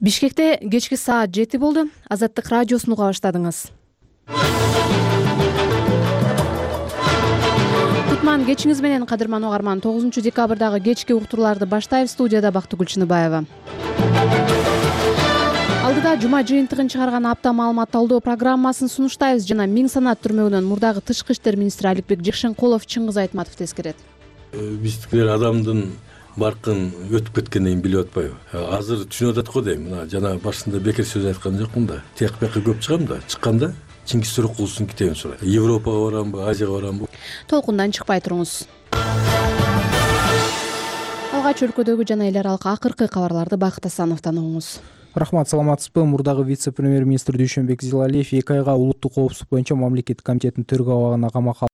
Бишкекте кечки саат 7 болду. Азаттык радиосун уга баштадыңыз. Кутман кечиңиз менен, кадырман угарман. 9 декабрдагы кечки уктурууларды баштайбыз. Студияда Бактыгүл Чыныбаева. Алдыда жума жыйынтыгын чыгарган апта маалымат талдоо программасын сунуштайбыз жана Миң санат түрмөгүнөн мурдагы тышкы иштер министри Аликбек Жекшенкулов Чыңгыз Айтматов тескерет. Биздикилер адамдын баркын өтүп кеткенден кийин билип атпайбы. Азыр түшүнүп атат го дейм. Мына жана башында бекер сөз айткан жокмун да. Тияк бияка көп чыгам да. Чыкканда Чингиз Сөрөкуловдун китебин сурайт. Европага барамбы, Азияга барамбы? Толкундан чыкпай туруңуз. Алгач өлкөдөгү жана эл аралык акыркы кабарларды Бакыт Асановдон угуңуз. Рахмат, саламатсызбы? Мурдагы вице-премьер-министр Дүйшөнбек Зилалиев 2 айга улуттук коопсуздук боюнча мамлекеттик комитеттин төрөгө абагына камакка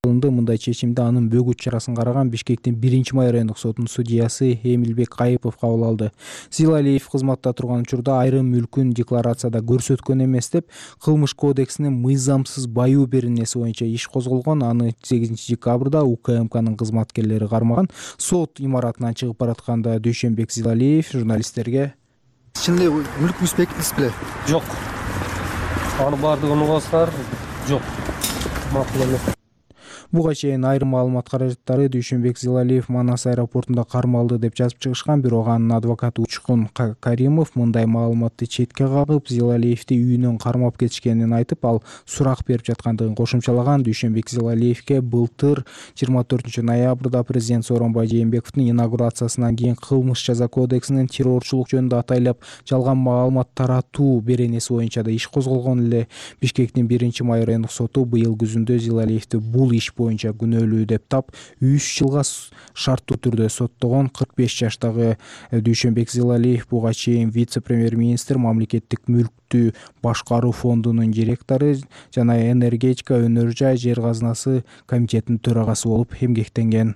алынды. Мындай чечимди анын бөгүт чарасын караган Бишкектин 1-май райондук сотунун судьясы Эмилбек Кайыпов кабыл алды. Зилалиев кызматта турган учурда айрым мүлкүн декларацияда көрсөткөн эмес деп Кылмыш кодексинин мыйзамсыз баюу беренеси боюнча иш козголгон. Аны 8 декабрда УКМКнын кызматкерлери кармаган. Сот имаратынан чыгып баратканда Дүйшөнбек Зилалиев журналисттерге: Чынында мүлкүңүз бекиттиңиз беле? Жок. Аны бардыгын угасыздар. Жок. Макул эмес. Буга чейин айрым маалымат каражаттары Дүйшөнбек Зилалиев Манас аэропортунда кармалды деп жазып чыгышкан, бирок анын адвокаты Учкун Каримов мындай маалыматты четке кагып, Зилалиевди үйүнөн кармап кетишкенин айтып, ал сурак берип жаткандыгын кошумчалаган. Дүйшөнбек Зилалиевге былтыр 24 ноябрда президент Сооронбай Жээнбековдун инаугурациясынан кийин Кылмыш жаза кодексинин террорчулук жөнүндө атайлап жалган маалымат таратуу беренеси боюнча да иш козголгон эле. Бишкектин 1-май райондук соту быйыл күзүндө Зилалиевди бул иш боюнча күнөөлүү деп тап 3 жылга шарттуу түрдө соттогон. 45 жаштагы Дүйшөнбек Зилалиев буга чейин вице-премьер-министр, мамлекеттик мүлктү башкаруу фондунун директору жана энергетика, өнөр жай, жер казынасы комитетинин төрагасы болуп эмгектенген.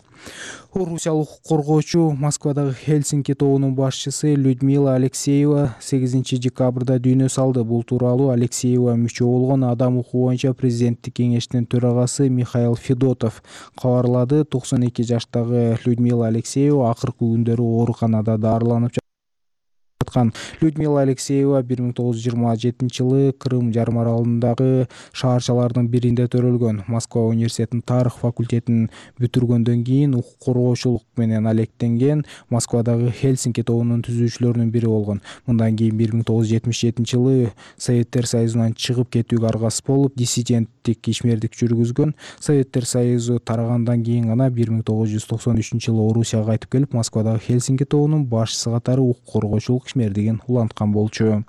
Орусиялык коргоочу Москвадагы Хельсинки тобунун башчысы Людмила Алексеева 8 декабрда дүйнө салды. Бул тууралуу Алексеева мүчө болгон Адам укугу боюнча президенттик кеңештин төрагасы Михаил Федотов кабарлады. 92 жаштагы Людмила Алексеева акыркы күндөрү ооруканада дарыланып жаткан. Людмила Алексеева 1927-жылы Крым жарым аралындагы шаарчалардын биринде төрөлгөн. Москва университетинин тарых факультетин бүтүргөндөн кийин укук коргоочулук менен алектенген. Москвадагы Хельсинки тобунун түзүүчүлөрүнүн бири болгон. Мындан кийин 1977-жылы Советтер Союзунан чыгып кетүүгө аргасыз болуп, диссиденттик ишмердик жүргүзгөн. Советтер Союзу тарагандан кийин гана 1993-жылы Орусияга кайтып келип, Москвадагы Хельсинки тобунун башчысы катары укук коргоочулук ишмердигин уланткан болчу.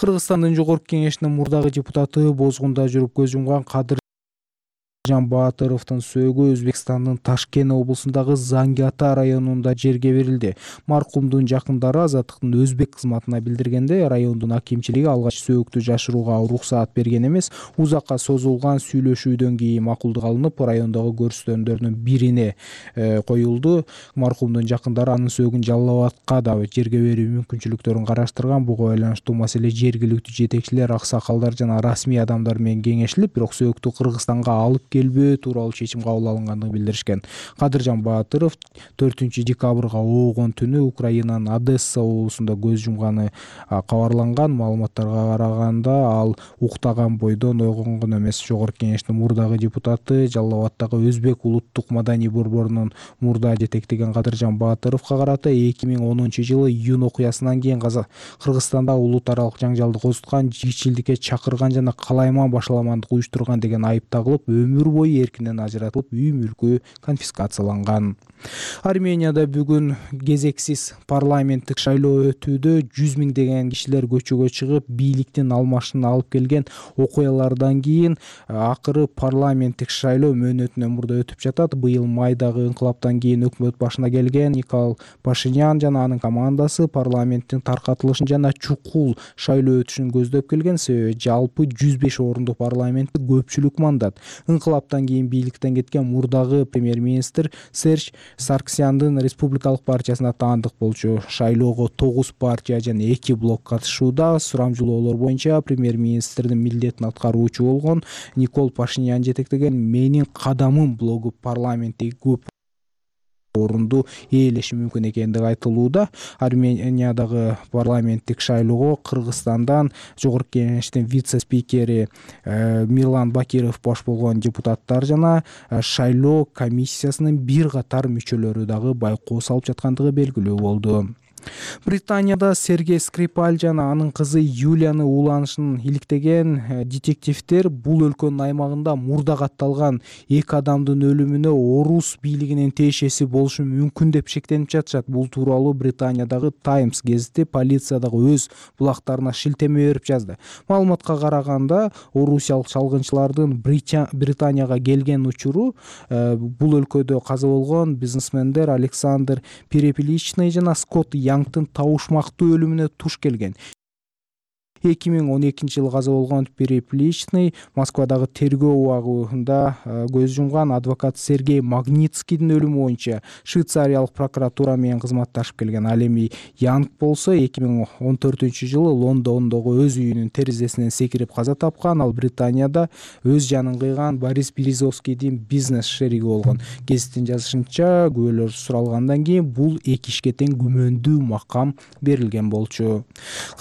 Кыргызстандын жогорку кеңешинин мурдагы депутаты Бозгунда жүрүп көз жумган Кадыржан Баатыровдун сөөгү Өзбекстандын Ташкент облусундагы Занги Ата районунда жерге берилди. Маркумдун жакындары Азаттыктын өзбек кызматына билдиргенде, райондун акимчилиги алгач сөөгүктү жашырууга уруксаат берген эмес. Узакка созулган сүйлөшүүдөн кийин макулдук алынып, райондогу көрсөтөндөрдүн бирине коюлду. Маркумдун жакындары анын сөөгүн Жалал Абадка да жерге берүү мүмкүнчүлүктөрүн караштырган. Буга байланыштуу маселе жергиликтүү жетекчилер, аксакалдар жана расмий адамдар менен кеңешилип, бирок сөөгүктү Кыргызстанга алып келбөө тууралуу чечим кабыл алынгандыгын билдиришкен. Кадыржан Баатыров 4 декабрга оогон түнү Украинанын Одесса облусунда көз жумганы кабарланган. Маалыматтарга караганда, ал уктаган бойдон ойгонгон эмес. Жогорку кеңештин мурдагы депутаты, Жалал Абадтагы Өзбек улуттук маданий борборунун мурда жетектеген Кадыржан Баатыровго карата 2010-жылы июнь окуясынан кийин Кыргызстанда улут аралык жаңжалды козуткан, жигичилдикке чакырган жана калайман башаламандык уюштурган деген айып тагылып, өмүр бою эркинен ажыратылып, үй мүлкү конфискацияланган. Арменияда бүгүн кезексиз парламенттик шайлоо өтүүдө 100 миңдеген кишилер көчөгө чыгып, бийликтин алмашын алып келген окуялардан кийин акыры парламенттик шайлоо мөөнөтүнөн мурда өтүп жатат. Быйыл майдагы инкылаптан кийин өкмөт башына келген Никол Пашинян жана анын командасы парламенттин таркатылышын жана чукул шайлоо өтүшүн көздөп келген. Себеби жалпы 105 орундук парламентти көпчүлүк мандат. Инкылаптан кийин бийликтен кеткен мурдагы премьер-министр Серж Сарксяндын республикалык партиясына таандык болчу. Шайлоого 9 партия жана 2 блок катышууда. Сурамжылоолор боюнча премьер-министрдин милдетин аткаруучу болгон Никол Пашинян жетектеген "Менин кадамым" блогу парламентте көп орунду ээлеши мүмкүн экендиги айтылууда. Армениядагы парламенттик шайлоого Кыргызстандан жогорку кеңештин вице-спикери Мирлан Бакиров баш болгон депутаттар жана шайлоо комиссиясынын бир катар мүчөлөрү дагы байкоо салып жаткандыгы белгилүү болду. Британияда Сергей Скрипаль жана анын кызы Юлияны ууланышын иликтеген детективдер бул өлкөнүн аймагында мурда катталган 2 адамдын өлүмүнө орус бийлигинин тиешеси болушу мүмкүн деп шектенип жатышат. Бул тууралуу Британиядагы Times газети полициядагы өз булактарына шилтеме берип жазды. Маалыматка караганда, орусиялык чалгынчылардын Британияга келген учуру бул өлкөдө каза болгон бизнесмендер Александр Перепеличный жана Скотт Янгтын табышмактуу өлүмүнө туш келген. 2012-жылы каза болгон Перепличный Москвадагы тергөө убагында көз жумган адвокат Сергей Магнитскийдин өлүмү боюнча швейцариялык прокуратура менен кызматташып келген. Ал эми Янг болсо 2014-жылы Лондондогу өз үйүнүн терезесинен секирип каза тапкан. Ал Британияда өз жанын кыйган Борис Березовскийдин бизнес шериги болгон. Гезиттин жазышынча, күбөлөр суралгандан кийин бул эки ишке тең күмөндүү макам берилген болчу.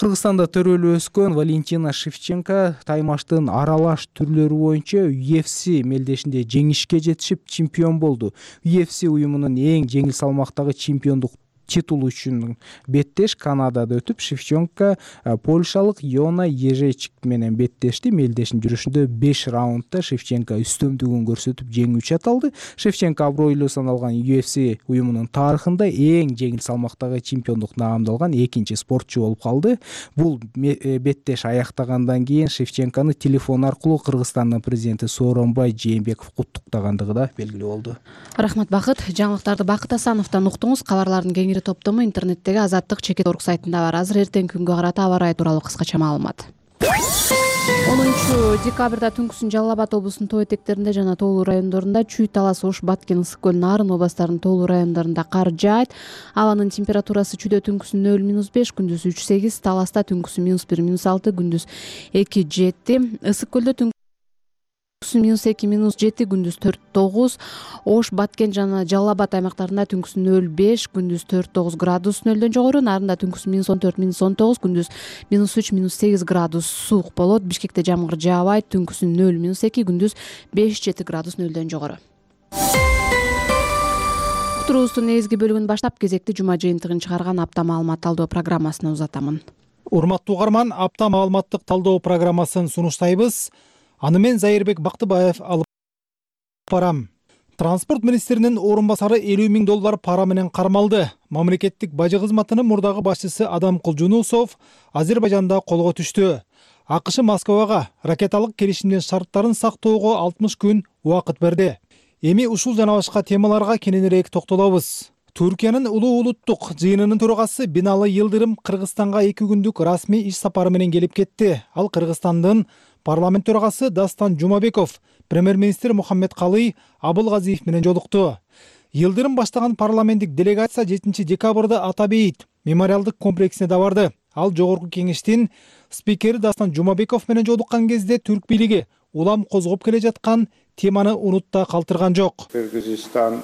Кыргызстанда төрөлүү Валентина Шевченко таймаштын аралаш түрлөрү боюнча UFC мелдешинде жеңишке жетишип чемпион болду. UFC уюмунун эң жеңил салмактагы чемпиондук титулу үчүн беттеш Канадада өтүп, Шевченко польшалык Йона Ежечик менен беттешти. Мелдештин жүрүшүндө 5 раундда Шевченко үстөмдүгүн көрсөтүп жеңүүчү аталды. Шевченко абройлуу саналган UFC уюмунун тарыхында эң жеңил салмактагы чемпиондук наамды алган экинчи спортчу болуп калды. Бул беттеш аяктагандан кийин Шевченкону телефон аркылуу Кыргызстандын президенти Сооронбай Жээнбеков куттуктагандыгы да белгилүү болду. Рахмат, Бакыт. Жаңылыктарды Бакыт Асановдон уктуңуз. Кабарлардын кеңири топтому интернеттеги Азаттык.org сайтында бар. Азыр эртеңки күнгө карата аба ырайы тууралуу кыскача маалымат. 10 декабрда түнкүсүн Жалал Абад облусунун тоо этектеринде жана тоолуу райондорунда Чүй, Талас, Ош, Баткен, Ысык көл, Нарын областарынын тоолуу райондорунда кар жаайт. Абанын температурасы Чүйдө түнкүсүн 0-5, күндүз 3-8, Таласта түнкүсүн -1-6, күндүз 2-7, Ысык көлдө -2, -7, күндүз 4-9, Ош, Баткен жана Жалал Абад аймактарында түнкүсүн 0-5, күндүз 4-9 градус нөлдөн жогору, Нарында түнкүсүн -14-19, күндүз -3-8 градус суук болот. Бишкекте жамгыр жаабайт, түнкүсүн 0-2, күндүз 5-7 градус нөлдөн жогору. Уктуруубуздун негизги бөлүгүн баштап, кезекти жума жыйынтыгын чыгарган апта маалымат талдоо программасына узатамын. Урматтуу угарман, апта маалыматтык талдоо программасын сунуштайбыз. Аны мен Зайырбек Бактыбаев алып барам. Транспорт министринин орун басары $50,000 пара менен кармалды. Мамлекеттик бажы кызматынын мурдагы башчысы Адам Кулжунусов Азербайжанда колго түштү. АКШ Москвага ракеталык келишимдин шарттарын сактоого 60 күн убакыт берди. Эми ушул жана башка темаларга кененирээк токтолобуз. Түркиянын улуу улуттук жыйынынын төрагасы Биналы Йылдырым Кыргызстанга 2 күндүк расмий иш сапары менен келип кетти. Ал Кыргызстандын парламент төрагасы Дастан Жумабеков, премьер-министр Мухаммед Калый Абылгазиев менен жолукту. Йылдырым баштаган парламенттик делегация 7 декабрда Ата Бейит мемориалдык комплексине да барды. Ал жогорку кеңештин спикери Дастан Жумабеков менен жолуккан кезде түрк бийлиги улам козгоп келе жаткан теманы унутта калтырган жок. Кыргызстан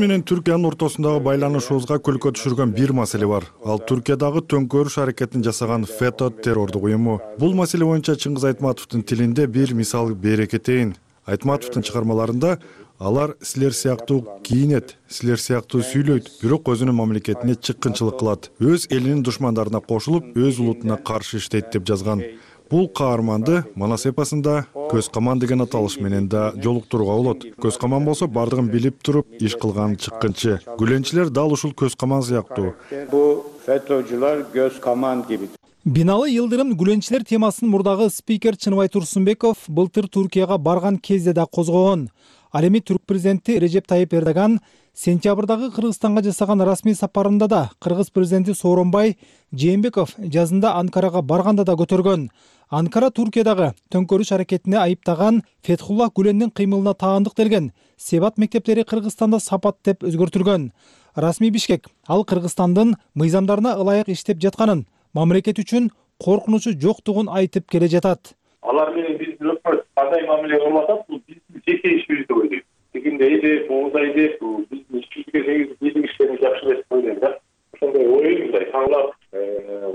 менен Түркиянын ортосундагы байланышыбызга көлкө түшүргөн бир маселе бар. Ал Түркиядагы төңкөрүш аракетин жасаган ФЭТÖ террордук уюму. Бул маселе боюнча Чыңгыз Айтматовдун тилинде бир мисал бере кетейин. Айтматовдун чыгармаларында алар силер сыяктуу кийинет, силер сыяктуу сүйлөйт, бирок өзүнүн мамлекетине чыккынчылык кылат. Өз элинин душмандарына кошулуп, өз улутуна каршы иштейт деп жазган. Бул каарманды Манас эпосунда Көз каман деген аталыш менен да жолуктурууга болот. Көз каман болсо бардыгын билип туруп иш кылган чыккынчы. Гүленчилер дал ушул көз каман сыяктуу. Бу фетөчүлөр көз каман gibi. Биналы Йылдырым гүленчилер темасын мурдагы спикер Чыныбай Турсунбеков былтыр Түркияга барган кезде да козгогон. Ал эми түрк президенти Режеп Тайып Эрдоган сентябрдагы Кыргызстанга жасаган расмий сапарында да Кыргыз президенти Сооронбай Жээнбеков жазында Анкарага барганда да көтөргөн. Анкара Түркиядагы төңкөрүш аракетине айыптаган Фетхулла Гүлендин кыймылына таандык делген Себат мектептери Кыргызстанда сапат деп өзгөртүлгөн. Расмий Бишкек ал Кыргызстандын мыйзамдарына ылайык иштеп жатканын, мамлекет үчүн коркунучу жоктугун айтып келе жатат. Алар менен биздин өкмөт кандай мамиле кылып атат, бул биздин жеке ишибиз деп ойлойм. тигиндейди, буудайды, биздин ичүүгө негизи биздин иштерибиз жакшы эмес деп ойлойм да. Ошондой оюм мындай таңлап,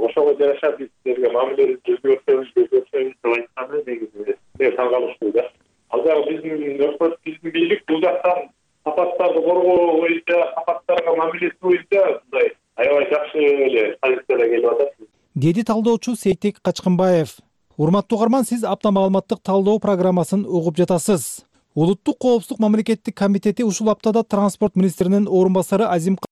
ошого жараша бизлерге мамилебизди өзгөртөбүз деп айтканы негизи таң калыштуу да. Ал жагы биздин бийлик бул жактан сапаттарды коргоо боюнча, сапаттарга мамилеси боюнча мындай аябай жакшы эле позицияда келип атат, деди талдоочу Сейтек Качкынбаев. Урматтуу угарман, сиз апта маалыматтык талдоо программасын угуп жатасыз. Улуттук коопсуздук мамлекеттик комитети ушул аптада транспорт министринин орун басары Азимкан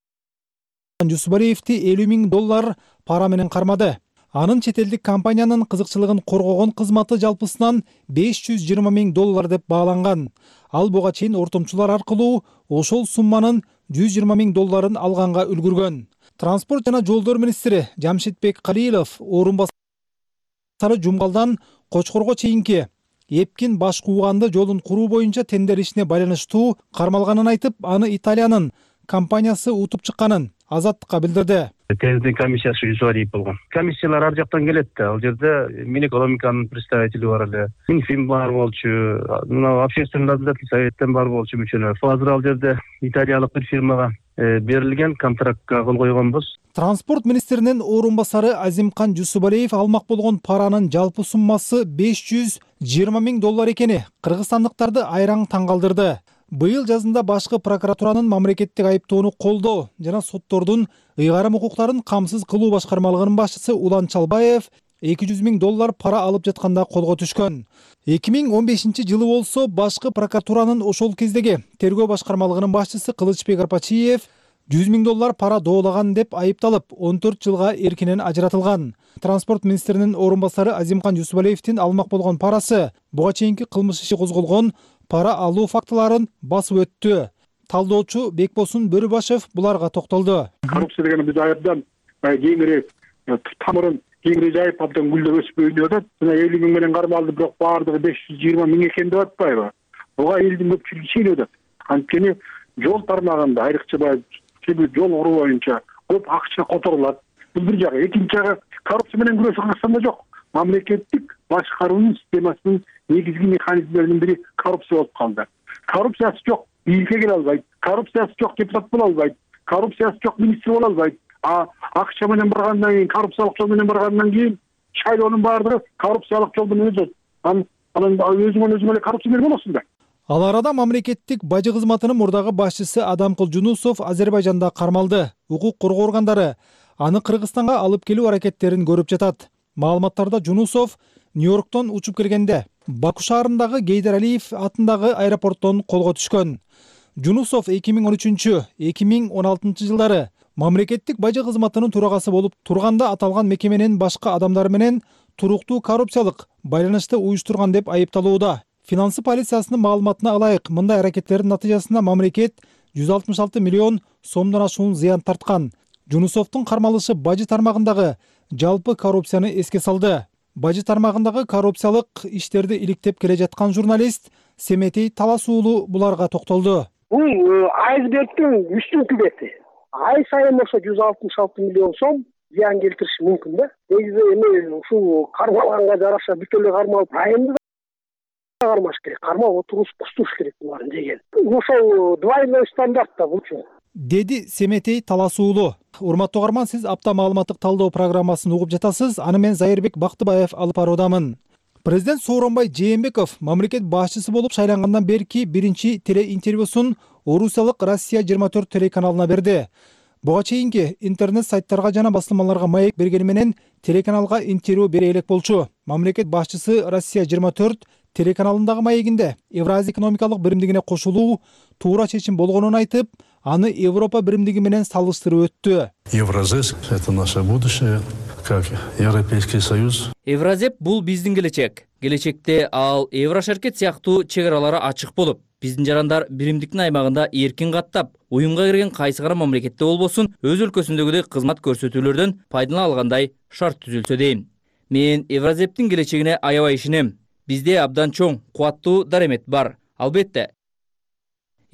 Жусупалиевди $50,000 пара менен кармады. Анын чет элдик компаниянын кызыкчылыгын коргогон кызматы жалпысынан $520,000 деп бааланган. Ал буга чейин ортомчулар аркылуу ошол сумманын $120,000 алганга үлгүргөн. Транспорт жана жолдор министри Жамшитбек Калилов орун басары Жумгалдан Кочкорго чейинки Эпкин Башкууганды жолун куруу боюнча тендер ишине байланыштуу кармалганын айтып, аны Италиянын компаниясы утуп чыкканын Азаттыкка билдирди. Тендер комиссиясы Жусупалиев болгон. Комиссиялар ар жактан келет да. Ал жерде Минэкономиканын представители бар эле, Минфин бар болчу, мына общественный наблюдательный советтен бар болчу мүчөлөр. Азыр ал жерде италиялык бир фирмага берилген контрактка кол койгонбуз. Транспорт министринин орун басары Азимкан Жусупалиев алмак болгон паранын жалпы суммасы $520,000 экени кыргызстандыктарды айраң таң калтырды. Быйыл жазында башкы прокуратуранын мамлекеттик айыптоону колдоо жана соттордун ыйгарым укуктарын камсыз кылуу башкармалыгынын башчысы Улан Чалбаев $200,000 пара алып жатканда колго түшкөн. 2015 болсо башкы прокуратуранын ошол кездеги тергөө башкармалыгынын башчысы Кылычбек Арпачиев $100,000 пара доолаган деп айыпталып, 14 жылга эркинен ажыратылган. Транспорт министринин орун басары Азимкан Жусупалиевдин алмак болгон парасы буга чейинки кылмыш иши козголгон пара алуу фактыларын басып өттү. Талдоочу Бекбосун Бөрүбашев буларга токтолду. Коррупция деген биз аябдан кеңири тамырын кеңири жайып абдан гүлдөп өсүп өнүгүп атат. Жана 50,000 менен кармалды, бирок баардыгы 520,000 экен деп атпайбы? Буга элдин көпчүлүгү ишенип атат. Анткени жол тармагында айрыкча жол куруу боюнча көп акча которулат. Бул бир жагы. Экинчи жагы, коррупция менен күрөшүү Кыргызстанда жок. Мамлекеттик башкаруунун системасынын негизги механизмдеринин бири коррупция болуп калды. Коррупциясы жок бийликке келе албайт, коррупциясы жок депутат боло албайт, коррупциясы жок министр боло албайт. Акча менен баргандан кийин, коррупциялык жол менен баргандан кийин шайлоонун баардыгы коррупциялык жол менен өтөт. Анан өзүңө эле коррупционер болосуң да. Ал арада мамлекеттик бажы кызматынын мурдагы башчысы Адамкул Жунусов Азербайжанда кармалды. Укук коргоо органдары аны Кыргызстанга алып келүү аракеттерин көрүп жатат. Маалыматтарда Жунусов Нью-Йорктон учуп келгенде Баку шаарындагы Гейдар Алиев атындагы аэропорттон колго түшкөн. Жунусов 2013-2016 жылдары мамлекеттик бажы кызматынын төрагасы болуп турганда аталган мекеменин башка адамдары менен туруктуу коррупциялык байланышты уюштурган деп айыпталууда. Финансы полициясынын маалыматына ылайык, мындай аракеттердин натыйжасында мамлекет 166 миллион сомдон ашуун зыян тарткан. Жунусовдун кармалышы бажы тармагындагы жалпы коррупцияны эске салды. Бажы тармагындагы коррупциялык иштерди иликтеп келе жаткан журналист Семетей Талас уулу буларга токтолду. Бул айсбергдин үстүнкү бети. Ай сайын ошо 166 миллион сом зыян келтириши мүмкүн да. Негизи эми ушул кармалганга жараша бүт эле кармалып, айымды кармаш керек. Кармап кустуш керек буларды деген. Ошол двойной стандарт да булчу. Деди Семетей Талас уулу. Урматтуу угарман, сиз апта маалыматтык талдоо программасын угуп жатасыз. Аны мен Зайырбек Бактыбаев алып баруудамын. Президент Сооронбай Жээнбеков мамлекет башчысы болуп шайлангандан берки биринчи телеинтервьюсун орусиялык Россия 24 телеканалына берди. Буга чейинки интернет сайттарга жана басылмаларга маек бергени менен телеканалга интервью бере элек болчу. Мамлекет башчысы Россия 24 телеканалындагы маегинде Евразия экономикалык биримдигине кошулуу туура чечим болгонун айтып, аны Европа биримдиги менен салыштырып өттү. Евразес — это наше будущее, как Европейский Союз. Евразеп бул биздин келечек. Келечекте ал Еврошеркет сыяктуу чек аралары ачык болуп, биздин жарандар биримдиктин аймагында эркин каттап, уюмга кирген кайсы гана мамлекетте болбосун, өз өлкөсүндөгүдөй кызмат көрсөтүүлөрдөн пайдалана алгандай шарт түзүлсө дейм. Мен Евразептин келечегине аябай ишенем. Бизде абдан чоң, кубаттуу даремет бар. Албетте,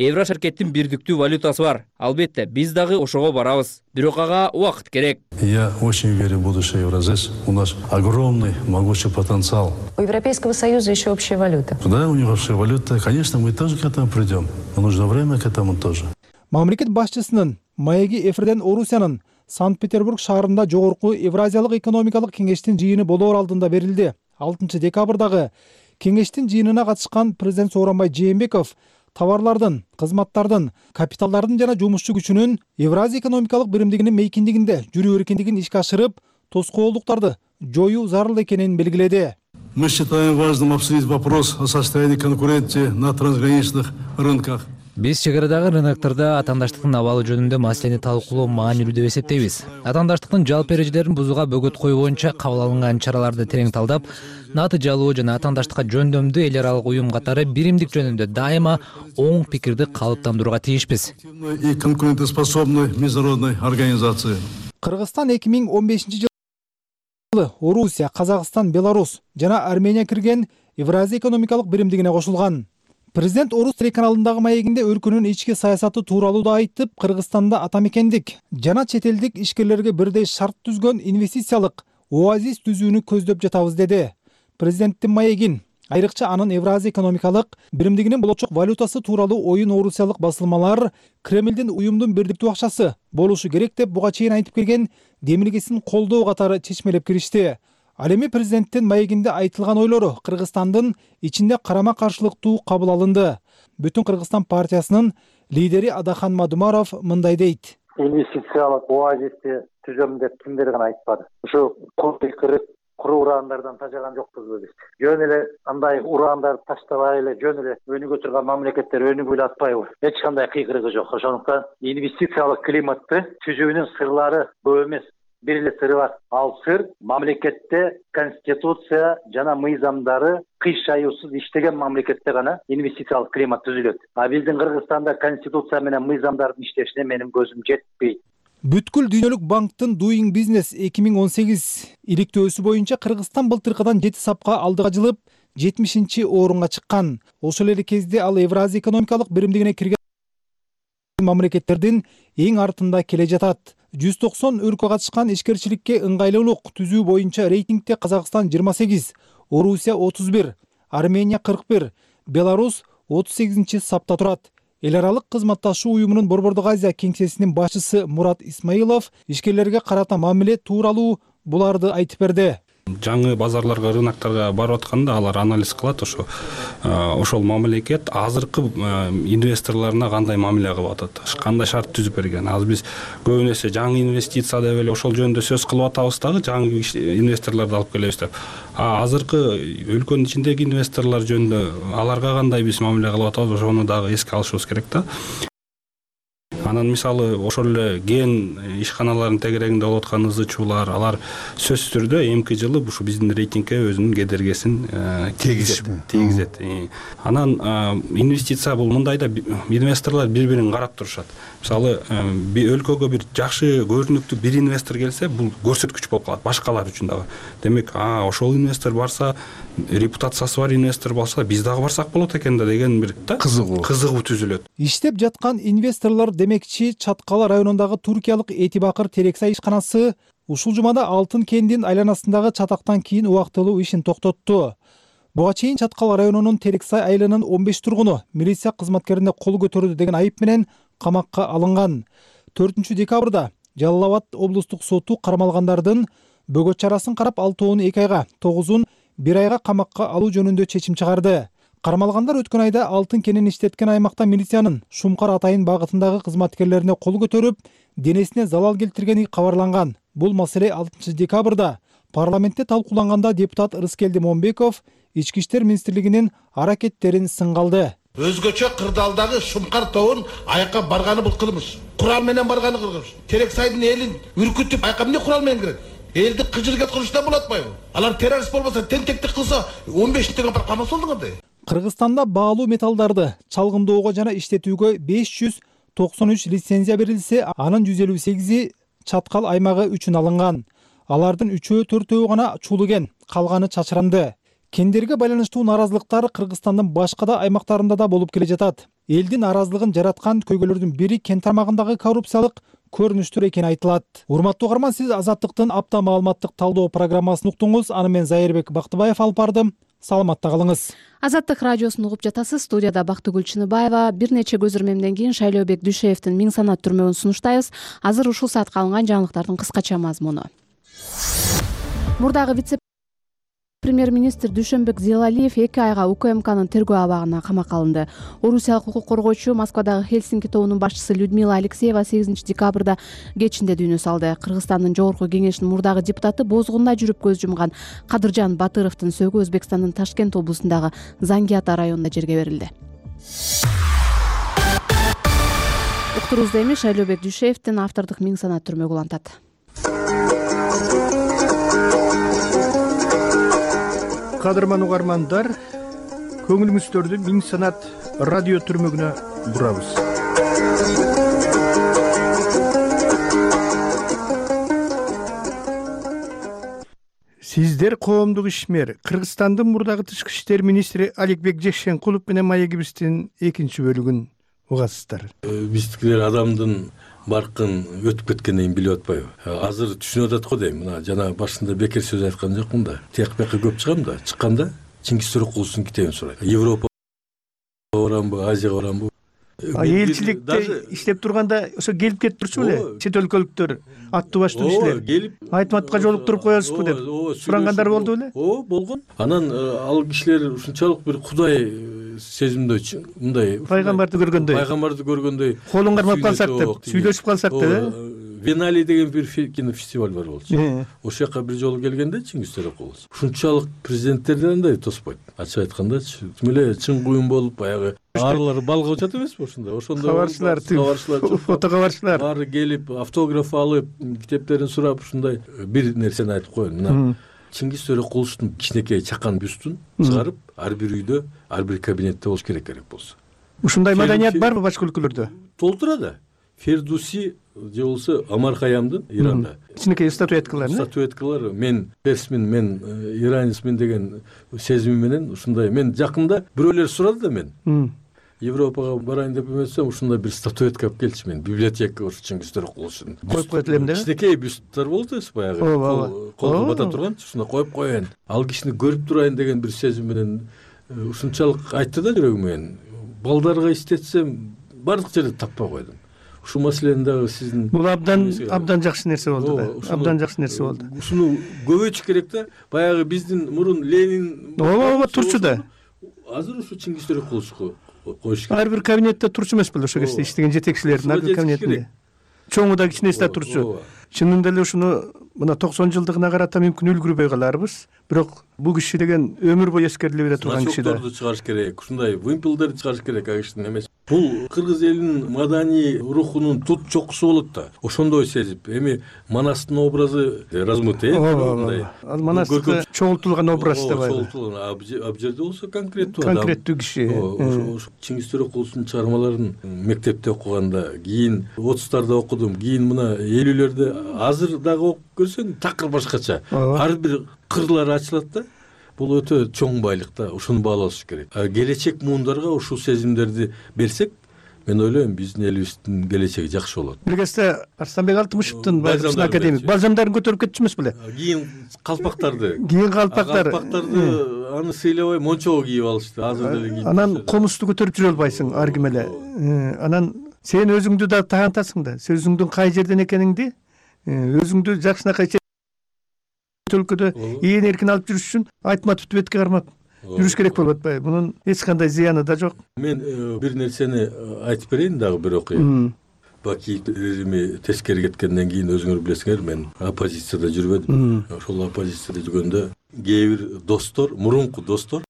Еврошеркеттин бирдиктүү валютасы бар. Албетте, биз дагы ошого барабыз. Бирок ага убакыт керек. Я очень верю в будущее Евразес. У нас огромный, могучий потенциал. У Европейского Союза еще общая валюта. Да, у них общая валюта. Конечно, мы тоже к этому придем. Но нужно время к этому тоже. Мамлекет башчысынын маеги эфирден Орусиянын Санкт-Петербург шаарында жогорку Евразиялык экономикалык кеңештин жыйыны болоор алдында берилди. 6 декабрдагы кеңештин жыйынына катышкан президент Сооронбай Жээнбеков товарлардын, кызматтардын, капиталдардын жана жумушчу күчүнүн Евразия экономикалык биримдигинин мейкиндигинде жүрүү эркиндигин ишке ашырып, тоскоолдуктарды жоюу зарыл экенин белгиледи. Мы считаем важным обсудить вопрос о состоянии конкуренции на трансграничных рынках. Биз чегарадагы рыноктарда атаандаштыктын абалы жөнүндө маселени талкуулоо маанилүү деп эсептейбиз. Атаандаштыктын жалпы эрежелерин бузууга бөгөт коюу боюнча кабыл алынган чараларды терең талдап, натыйжалуу жана атаандаштыкка жөндөмдүү эл аралык уюм катары биримдик жөнүндө дайыма оң пикирди калыптандырууга тийишпиз. И конкурентоспособной международной организации. Кыргызстан 2015 жылы Орусия, Казакстан, Беларусь жана Армения кирген Евразия экономикалык биримдигине кошулган. Президент Орус телеканалындагы маегинде өлкөнүн ички саясаты тууралуу да айтып, Кыргызстанда атамекендик жана чет элдик ишкерлерге бирдей шарт түзгөн инвестициялык оазис түзүүнү көздөп жатабыз деди. Президенттин маегин, айрыкча анын Евразия экономикалык биримдигинин болочок валютасы тууралуу оюн орусиялык басылмалар Кремлдин уюмдун бирдиктүү акчасы болушу керек деп буга чейин айтып келген демилгесин колдоо катары чечмелеп киришти. Ал эми президенттин маегинде айтылган ойлору Кыргызстандын ичинде карама-каршылыктуу кабыл алынды. Бүтүн Кыргызстан партиясынын лидери Адахан Мадумаров мындай дейт. Инвестициялык оазисти түзөм деп кимдер гана айтпады. Ушу куру ураандардан тажаган жокпузбу биз. Жөн эле андай ураандарды таштабай эле жөн эле өнүгө турган мамлекеттер өнүгүп эле атпайбы? Эч кандай кыйкырыгы жок. Ошондуктан инвестициялык климатты түзүүнүн сырлары көп эмес. Бир эле сыры бар. Ал сыр мамлекетте конституция жана мыйзамдары кыйшаюусуз иштеген мамлекетте гана инвестициялык климат түзүлөт. А биздин Кыргызстанда конституция менен мыйзамдардын иштешине менин көзүм жетпейт. Бүткүл дүйнөлүк банктын Doing Business 2018 иликтөөсү боюнча Кыргызстан былтыркыдан 7 сапка алдыга жылып 70-орунга чыккан. Ошол эле кезде ал Евразия экономикалык биримдигине кирген мамлекеттердин эң артында келе жатат. 190 өлкө катышкан ишкерчиликке ыңгайлуулук түзүү боюнча рейтингде Казакстан 28, Орусия 31, Армения 41, Беларусь 38 сапта турат. Эл аралык кызматташуу уюмунун Борбордук Азия кеңсесинин башчысы Мурат Исмаилов ишкерлерге карата мамиле тууралуу буларды айтып берди. Жаңы базарларга, рыноктарга барып атканда алар анализ кылат, ошол мамлекет азыркы инвесторлоруна кандай мамиле кылып атат, кандай шарт түзүп берген. Азыр биз көбүн эсе жаңы инвестиция деп эле ошол жөнүндө сөз кылып атабыз дагы, жаңы инвесторлорду алып келебиз деп. Азыркы өлкөнүн ичиндеги инвесторлор жөнүндө аларга кандай биз мамиле кылып атабыз, ошону дагы эске алышыбыз керек да. Анан мисалы ошол эле ген ишканалардын тегерегинде болуп аткан ызычуулар, алар сөзсүз түрдө эмки жылы ушу биздин рейтингке өзүнүн кедергисин тийгизет. Анан инвестиция бул мындай да инвесторлор бири-бирин карап турушат. Мисалы өлкөгө бир жакшы көрүнүктүү бир инвестор келсе, бул көрсөткүч болуп калат башкалар үчүн дагы. Демек, ошол инвестор барса, репутациясы бар инвестор болсо, биз дагы барсак болот экен да деген бир кызыгуу түзүлөт. Иштеп жаткан инвесторлор демекчи Чаткала районундагы туркиялык Этибакыр Терексай ишканасы ушул жумада Алтын кендин айланасындагы чатактан кийин убактылуу ишин токтотту. Буга чейин Чаткала районунун Терексай айылынын 15 тургуну милиция кызматкерине кол көтөрдү деген айып менен камакка алынган. 4 декабрда Жалал Абад облустук соту кармалгандардын бөгөт чарасын карап 6-ны 2 айга, 9-ун 1 айга камакка алуу жөнүндө чечим чыгарды. Кармалгандар өткөн айда Алтын кенин иштеткен аймакта милициянын Шумкар Атайын багытындагы кызматкерлерине кол көтөрүп, денесине залал келтиргени кабарланган. Бул маселе 6 декабрда парламентте талкууланганда депутат Рыскелди Момбеков Ички иштер министрлигинин аракеттерин сынга алды. Өзгөчө кырдаалдагы Шумкар тобун аяка барганы бул кылмыш. Курал менен барганы кылмыш. Терексайдын элин үркүтүп аяка эмне курал менен кирет? Элди кыжырга кылышта болот атпайбы? Алар террорист болбосо, тентектик кылса 15-нче апар камаса болду кандай? Кыргызстанда баалуу металлдарды чалгындоого жана иштетүүгө 593 лицензия берилсе, анын 158-и Чаткал аймагы үчүн алынган. Алардын 3-4 гана чуулуген, калганы чачыранды. Кендерге байланыштуу наразылыктар Кыргызстандын башка да аймактарында да болуп келе жатат. элдин наразылыгын жараткан көйгөйлөрдүн бири кен тармагындагы коррупциялык көрүнүштөр экени айтылат. Урматтуу угарман, сиз Азаттыктын апта маалыматтык талдоо программасын уктуңуз. Аны мен Зайырбек Бактыбаев алып бардым. Саламатта калыңыз. Азаттык радиосун угуп жатасыз. Студияда Бактыгүл Чыныбаева. Бир нече көзөрмемден кийин Шайлообек Дүйшеевдин Миң санат түрмөгүн сунуштайбыз. Азыр ушул саатка алынган жаңылыктардын кыскача мазмуну. Мурдагы вице-премьер-министр Дүйшөнбек Зилалиев 2 айга УКМКнын тергөө абагына камакка алынды. Орусиялык укук коргоочу Москвадагы Хельсинки тобунун башчысы Людмила Алексеева 8 декабрда кечинде дүйнө салды. Кыргызстандын жогорку кеңешинин мурдагы депутаты бозгунда жүрүп көз жумган Кадыржан Батыровдун сөөгү Өзбекстандын Ташкент облусундагы Зангиата районунда жерге берилди. Уктурубузда эми Шайлообек Дүйшеевдин автордук Миң санат түрмөгү улантат. Кадырман угармандар, көңүлүңүздөрдү Миң санат радио түрмөгүнө бурабыз. Сиздер коомдук ишмер Кыргызстандын мурдагы тышкы иштер министри Аликбек Жекшенкулов менен маегибиздин 2-бөлүгүн угасыздар. Биздикилер адамдын баркын өтүп кеткенден кийин билип атпайбы. Азыр түшүнүп атат го дейм. Мына жана башында бекер сөз айткан жокмун да. Тияк бияка көп чыгам да. Чыкканда Чингиз Төрөкуловдун китебин сурайт. Европа барамбы, Азияга барамбы? Элчиликте иштеп турганда ошо келип кетип турчу беле? Чет өлкөлүктөр аттуу баштуу кишилер. Айтматка жолуктуруп коесузбу деп сурангандар болду беле? Болгон. Анан ал кишилер ушунчалык бир кудай сезимдөөчү, мындай пайгамбарды көргөндөй колун кармап калсак деп, сүйлөшүп калсак деп. Венали деген бир кинофестиваль бар болчу. Ошол жака бир жолу келгенде Чингиз Төрөкулов ушунчалык президенттерден андай тоспойт. Ачык айткандачы, тим эле чын куюн болуп, баягы арлар балга учат эмеспи ошондо? Ошондо кабарчылар, фото кабарчылар баары келип, автограф алып, китептерин сурап, ушундай бир нерсени айтып коеюн. Мына Чингиз Төрөкуловдун кичинекей чакан бюстун чыгарып, ар бир үйдө, ар бир кабинетте болуш керек болсо. Ушундай маданият барбы башка өлкөлөрдө? Толтура да. Фердуси же болсо Амар Хаямдын Иранда кичинекей статуэткалар мен персмин, мен иранецмин деген сезими менен ушундай. Мен жакында бирөөлөр сурады да мен. Европага барайын деп эмесем, ушундай бир статуэтка алып келчи мен. Библиотека ушу Чингиз Төрөкуловдун. Коюп коет элем да. Кичинекей бюсттар болду баягы. Колго бата турганчы, ушундай коюп коеюн. Ал кишини көрүп турайын деген бир сезим менен ушунчалык айтты да жүрөгүм менен. Балдарга иштетсем бардык жерде таппай койдум. Ушул маселени дагы сиздин бул абдан жакшы нерсе болду да. Абдан жакшы нерсе болду. Ушуну көбөйтүш керек да. Баягы биздин мурун Ленин турчу да. Азыр ушу Чингиз Төрөкуловго коюш керек. Ар бир кабинетте турчу эмес беле ошол кезде иштеген жетекчилердин ар бир кабинетинде. Чоңу да кичинеси да турчу. Чынында эле ушуну мына 90 жылдыгына карата мүмкүн үлгүрбөй каларбыз. Бирок бул киши деген өмүр бою эскериле бере турган киши да. Чыгарыш керек. Ушундай вымпелдерди чыгарыш керек кишинин эмес. Бул кыргыз элинин маданий рухунун тут чокусу болот да. Ошондой сезип, эми Манастын образы размытый. Ал Манастыкы чогултулган образ да бар. Чогултулган, а жерде болсо конкреттүү киши. Чингиз Төрөкуловдун чыгармаларын мектепте окуганда, кийин 30-тарда окудум, кийин мына 50-лерде, азыр дагы окуп көрсөң такыр башкача. Ар бир кырлары ачылат да. Бул өтө чоң байлык да, ушуну баалаш керек. Келечек муундарга ушул сезимдерди берсек, мен ойлойм биздин элибиздин келечеги жакшы болот. Бир кезде Арсланбек Алтымышевдин байыркы академик балжамдарын көтөрүп кетчү эмес беле? Кийин калпактарды аны сыйлабай мончого кийип алышты. Азыр деле кийип. Анан комузду көтөрүп жүрө албайсың ар ким эле. Анан сен өзүңдү да таантасың да. Өзүңдүн кай жерден экениңди, өзүңдү жакшынакай өлкөдө ээн эркин алып жүрүш үчүн айтматовду бетке кармап жүрүш керек болуп атпайбы? Мунун эч кандай зыяны да жок. Мен бир нерсени айтып берейин дагы, бир окуя. Баки режими тескери кеткенден кийин өзүңөр билесиңер, мен оппозицияда жүрбөдүм. Ошол оппозицияда жүргөндө кээ бир достор, мурунку достор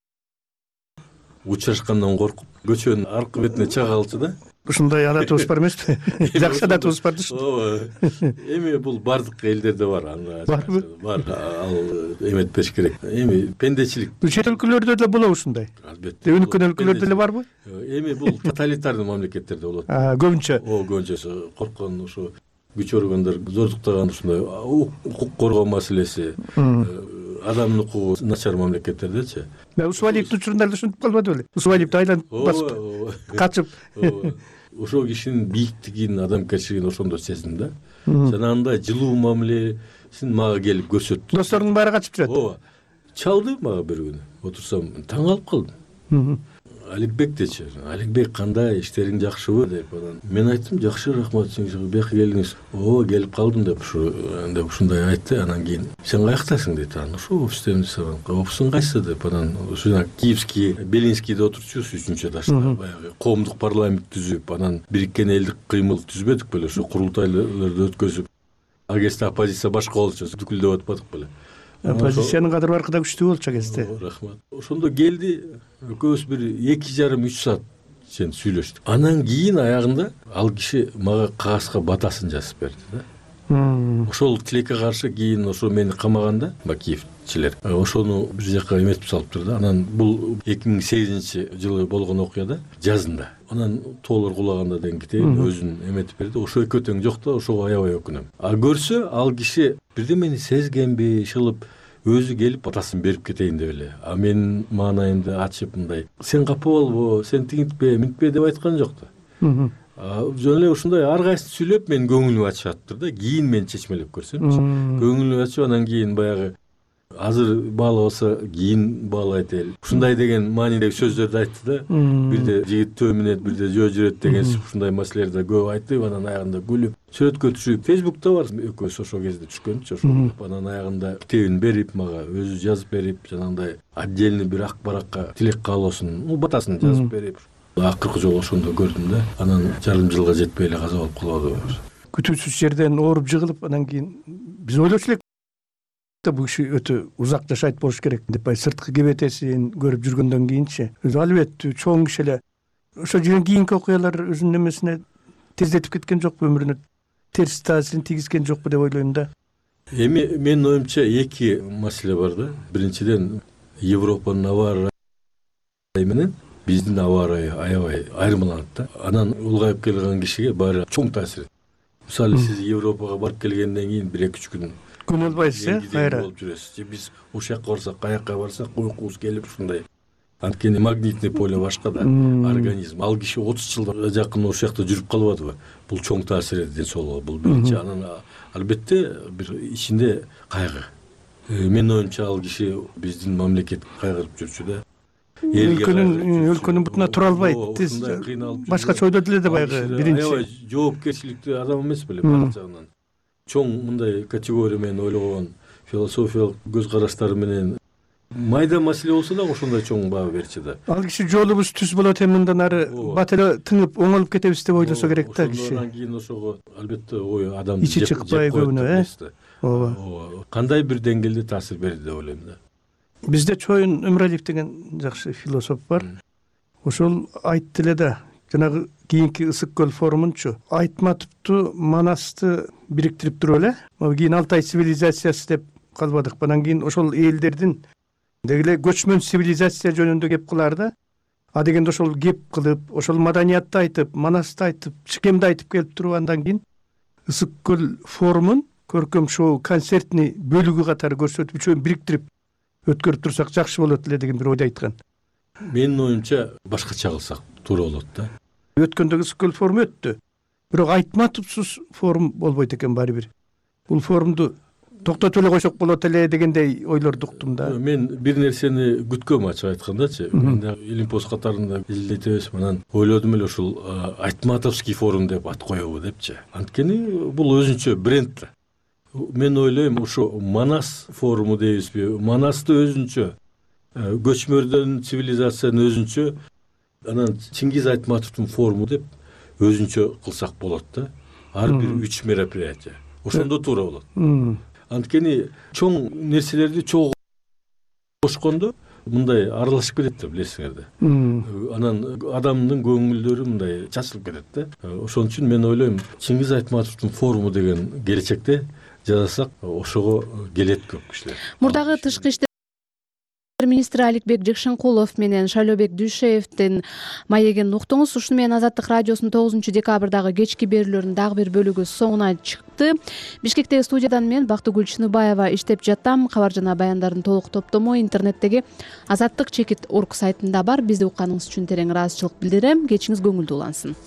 учурашкандан коркуп көчөнүн аркы бетине чыга калчу да. Ушундай адатыбыз бар эмеспи? Жакшы адатыбыз бар да. Ооба. Эми бул бардык элдерде бар. Барбы? Бар. Ал эметпеш керек. Эми пендечилик. Чет өлкөлөрдө деле болобу ушундай? Албетте. Өнүккөн өлкөлөрдө деле барбы? Эми бул тоталитардуу мамлекеттерде болот. Көбүнчө. Көбүнчөсү корккон, ушу күч органдар зордуктаган ушундай укук коргоо маселеси, адамдын укугу начар мамлекеттердечи. Усвалиевдин учурунда ушинтип калбады беле? Усвалиевди айланып басып качып. Ошол кишинин бийиктигин, адамгерчилигин ошондо сездим да. Жанагындай жылуу мамилесин мага келип көрсөттү. Досторунун баары качып жүрөт. Ооба. Чалды мага бир күнү. Отурсам таң калып калдым. Аликбек дечи. Аликбек кандай, иштериң жакшыбы деп анан. Мен айттым, жакшы, рахмат, сиңиз бияка келиңиз. Ооба, келип калдым деп ушундай айтты. Анан кийин сен каяктасың дейт. Анан ошо офистемин сабан. Офисиң кайсы деп анан ушуна Киевский, Белинскийде отурчубуз 3-чү этажда. Баягы коомдук парламент түзүп, анан бириккен элдик кыймыл түзбөдүк беле, ошо курултайларды өткөзүп. Агеста оппозиция башка болчу, дүкүлдөп атпадык беле. Оппозициянын кадыр баркы да күчтүү болчу кезде. Рахмат. Ошондо келди, экөөбүз бир 2,5-3 саат сен сүйлөштүк. Анан кийин аягында ал киши мага кагазга батасын жазып берди да. Ошол тилекке каршы кийин ошо мени камаганда Бакиевчилер ошону бир жака эметип салыптыр да. Анан бул 2008-жылы болгон окуяда жазында. Анан тоолор кулаганда денгитейин өзүн эметип берди. Ошо экөө тең жок да, ошого аябай өкүнөм. А көрсө ал киши бирдемени сезгенби, шылып өзү келип батасын берип кетейин деп эле. А менин маанайымды ачып мындай, сен капа болбо, сен тигинтпе, минтпе деп айткан жок да. Жөн эле ушундай ар кайсын сүйлөп менин көңүлүмө ачып да. Кийин мен чечмелеп көрсөмчү. Көңүлүмө ачып анан кийин баягы азыр баалабаса кийин баалайт эл. Ушундай деген маанидеги сөздөрдү айтты да. Бирде жигит төө минет, бирде жөө жүрөт деген ушундай маселелерди көп айтып, анан аягында күлүп, сүрөткө түшүп, Facebook'та бар экөөбүз ошол кезде түшкөнчү, ошо. Анан аягында китебин берип мага, өзү жазып берип, жанагындай отдельный бир ак баракка тилек каалоосун, батасын жазып берип. Акыркы жолу ошондо көрдүм да. Анан жарым жылга жетпей эле каза болуп калды. Күтүүсүз жерден ооруп жыгылып, анан кийин биз ойлочу элек бул киши өтө узак жашайт болуш керек деп, сырткы кебетесин көрүп жүргөндөн кийинчи өзү албетте чоң киши эле ошо жерден кийинки окуялар өзүнүн эмесине тездетип кеткен жокпу, өмүрүнө терс таасирин тийгизген жокпу деп ойлойм да. Эми менин оюмча эки маселе бар да. Биринчиден Европанын аба ырайы менен биздин аба ырайы аябай айырмаланат да. Анан улгайып келген кишиге баары чоң таасир. Мисалы сиз Европага барып келгенден кийин 1-2 күн болбайсыз, кайра болуп жүрөсүз. Биз ошол жака барсак, каяка барсак уйкубуз келип ушундай. Анткени магнитный поле башка да, организм. Ал киши 30 жылга жакын ошол жакта жүрүп калбадыбы? Бул чоң таасир эди ден соолукка. Бул биринчи. Анан албетте бир ичинде кайгы. Менин оюмча ал киши биздин мамлекет кайгырып жүрчү да. Өлкөнүн бутуна тура албайт. Тез башкача ойдоду эле да баягы биринчи. Аябай жоопкерчиликтүү адам эмес беле баары жагынан. Чоң мындай категория менен ойлогон, философиялык көз караштары менен майда маселе болсо да ошондой чоң баа берчү да. Ал киши жолубуз түз болот, эми мындан ары бат эле тыңып оңолуп кетебиз деп ойлосо керек да киши. Андан кийин ошого албетте ой адамды ичи чыкпай көбүнө, ооба. Кандай бир деңгээлде таасир берди деп ойлойм да. Бизде Чоюн Өмүралиев деген жакшы философ бар. Ошол айтты эле да, жанагы кийинки Ысык көл форумунчу Айтматовду, Манасты бириктирип туруп эле, кийин Алтай цивилизациясы деп калбадык. Анан кийин ошол элдердин деги эле көчмөн цивилизация жөнүндө кеп кылаар да. А дегенде ошол кеп кылып, ошол маданиятты айтып, Манасты айтып, Чикемди айтып келип туруп, андан кийин Ысык көл форумун көркөм шоу концертный бөлүгү катары көрсөтүп, үчөөнү бириктирип өткөрүп турсак жакшы болот эле деген бир ойду айткан. Менин оюмча башкача кылсак туура болот да. Өткөндөгү Ысык көл форуму өттү. Бирок Айтматовсуз форум болбойт экен баары бир. Бул форумду токтотуп эле койсок болот эле дегендей ойлорду уктум да. Мен бир нерсени күткөм, ачык айткандачы. Мен да Илимпост катарында изилдетебиз, анан ойлодум эле ушул Айтматовский форум деп ат коебу депчи. Анткени бул өзүнчө бренд да. Мен ойлойм, ошо Манас форуму дейбизби, Манасты өзүнчө, көчмөрдөн цивилизациянын өзүнчө, анан Чингиз Айтматовдун форуму деп өзүнчө кылсак болот да. Ар бир 3 мероприятие. Ошондо туура болот. Анткени чоң нерселерди чогуу кошкондо мындай аралашып кетет да, билесиңер да. Анан адамдын көңүлдөрү мындай чачылып кетет да. Ошон үчүн мен ойлойм, Чингиз Айтматовдун форуму деген келечекте жасасак ошого келет көп кишилер. Мурдагы тышкы иштер министри Аликбек Жакшенкулов менен Шайлообек Дүйшеевдин маегин уктуңуз. Ушуну менен Азаттык радиосунун 9 декабрдагы кечки берүүлөрүнүн дагы бир бөлүгү соңуна чыкты. Бишкектеги студиядан мен Бактыгүл Чыныбаева иштеп жатам. Кабар жана баяндардын толук топтому интернеттеги azattik.org сайтында бар. Бизди укканыңыз үчүн терең ыраазычылык билдирем. Кечиңиз көңүлдүү улансын.